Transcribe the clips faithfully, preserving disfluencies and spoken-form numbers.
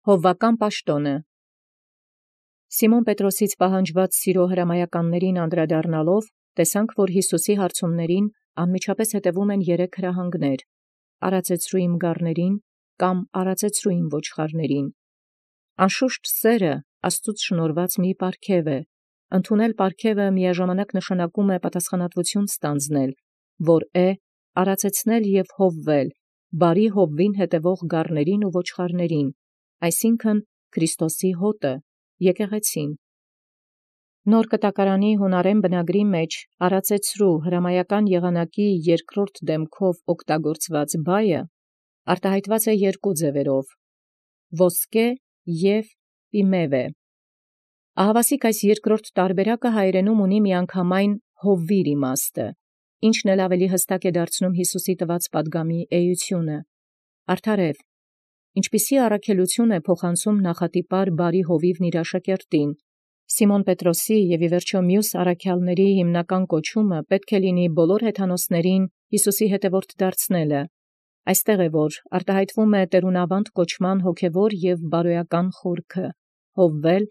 Հովվական պաշտոնը։ Սիմոն Պետրոսից պահանջված սիրո հրամայականներին անդրադառնալով, տեսանք, որ Յիսուսի հարցումներին անմիջապես հետևում են երեք հրահանգներ. «Արածեցրու իմ գառներին» կամ «Արածեցրու իմ ոչխարներին»։ Անշուշտ սերը Աստուծոց շնորհված մի պարգև է. ընդունել պարգևը միաժամանակ նշանակում է պատասխանատվություն ստանձնել, որ է արածեցնել և հովվել բարի հովվին հետևող գառներին ու ոչխարներին, այսինքն Քրիստոսի հոտը, եկեղեցին։ Նոր Կտակարանի յունարեն բնագրի մեջ «արածեցրու» հրամայական եղանակի երկրորդ դեմքով օգտագործված բայը արտահայտված է երկու ձևերով՝ ոսկե և պիմևե։ Ահավասիկ այս երկրորդ տարբերակը հայերենում ունի միանգամայն հովվիր իմաստը, ինչն էլ ավելի հստակ է դարձնում Յիսուսի տված պատգամի էությունը։ Արդարև, ինչպիսի առաքելություն է փոխանցում նախատիպար բարի հովիվն իր աշակերտին, Սիմոն Պետրոսի և ի վերջոյ մյուս առաքյալների հիմնական կոչումը պետք է լինի բոլոր հեթանոսներին Յիսուսի հետևորդ դարձնելը։ Այստեղ է, որ արտահայտվում է տերունավանդ կոչման հոգևոր և բարոյական խորքը՝ հովվել,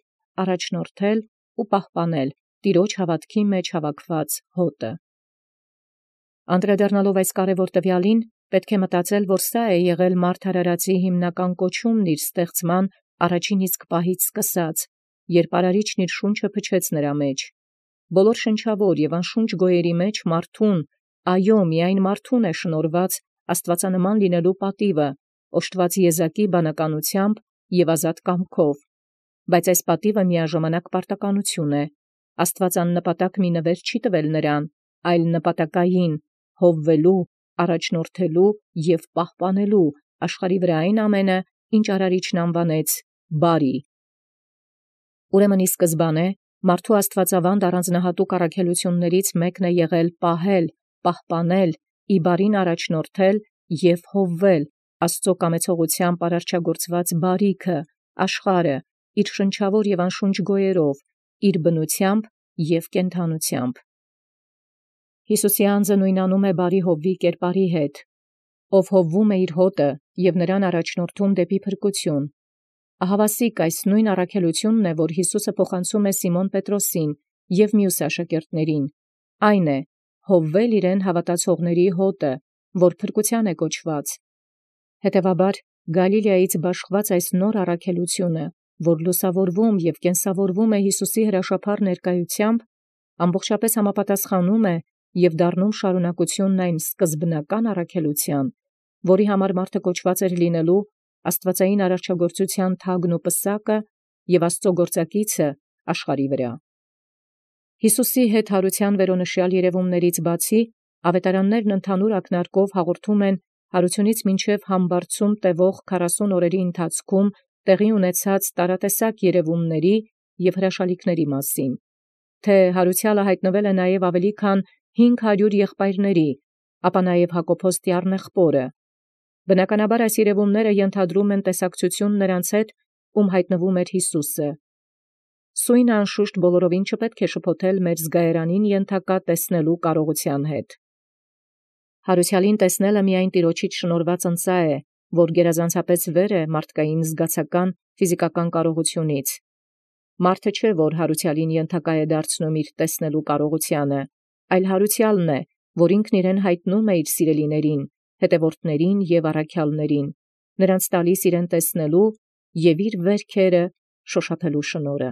առաջնորդել ու պահպանել Տիրոջ հաւատքի մեջ հավաքված հոտը։ Անդրադառնալով այս կարևոր տվյալին, պետք է մտածել, որ սա է եղել մարդ արարածի հիմնական կոչումն իր ստեղծման առաջին իսկ պահից սկսած, երբ արարիչն իր շունչը փչեց նրա մեջ։ Բոլոր շնչավոր և անշունչ գոյերի մեջ մարդուն, այո, միայն մարդուն է շնորհված աստուածանման լինելու պատիվը, օժտված եզակի բանականությամբ և ազատ կամքով, բայց այս պատիվը միաժամանակ պարտականություն է։ Աստուած աննպատակ մի նվեր չի տվել նրան, այլ նպատակային հովվելու, առաջնորդելու և պահպանելու աշխարհի վրա այն ամենը, ինչ արարիչն անվանեց բարի։ Ուրեմն ի սկզբանե մարդու աստուածավանդ առանձնահատուկ առաքելություններից մեկն է եղել պահել, պահպանել, ի բարին առաջնորդել և հովվել Աստծո կամեցողութեամբ արարչագործված բարիքը, աշխարհը, իր շնչավոր և անշունչ գոյերով, իր բնութեամբ և կենդանութեամբ։ Յիսուսի անձը նույնանում է բարի հովվի կերպարի հետ, ով հովվում է իր հոտը և նրան առաջնորդում դեպի փրկություն։ Ահավասիկ այս նույն առաքելությունն է, որ Յիսուսը փոխանցում է Սիմոն Պետրոսին և մյուս աշակերտներին, այն է, հովվել իրեն հավատացողների հոտը, որ փրկության է կոչված։ Հետևաբար Գալիլեայից բաշխված այս նոր առաքելությունը, որ լուսավորվում և կենսավորվում է Յիսուսի հրաշափառ ներկայութեամբ, ամբողջապես համապատասխանում է և դառնում շարունակությունն այն սկզբնական առաքելության, որի համար մարդը կոչված էր լինելու աստուածային արարչագործության թագն ու պսակը և Աստծո գործակիցը աշխարհի վրա։ Յիսուսի հետ հարության վերոնշյալ երևումներից բացի, ավետարաններն ընդհանուր ակնարկով հաղորդում են հարությունից մինչև համբարձում տևող քառասուն օրերի ընթացքում տեղի ունեցած տարատեսակ երևումների և հրաշալիքների մասին, թե հարուցյալը հայտնվել է նաև ավելի քան հինգ հարյուր եղբայրների, ապա նաև Հակոբոս տյառն եղբորը։ Բնականաբար այս երևումները ենթադրում են տեսակցություն նրանց հետ, ում հայտնվում էր Յիսուսը։ Սույնը անշուշտ բոլորովին չպետք է շփոթել մեր զգայարանին ենթակա տեսնելու կարողութեան հետ։ Հարուցյալին տեսնելը միայն Տիրոջից շնորհված ընծայ է, որ գերազանցապես վեր է մարդկային զգացական, ֆիզիկական կարողությունից։ Մարդը չէ, որ հարուցյալին ենթակա է դարձնում իր տեսնելու կարողությանը, այլ հարուցյալն է, որ ինքն իրեն հայտնում է իր սիրելիներին, հետևորդներին և առաքյալներին, նրանց տալիս իրեն տեսնելու և իր վերքերը շոշափելու շնորհը։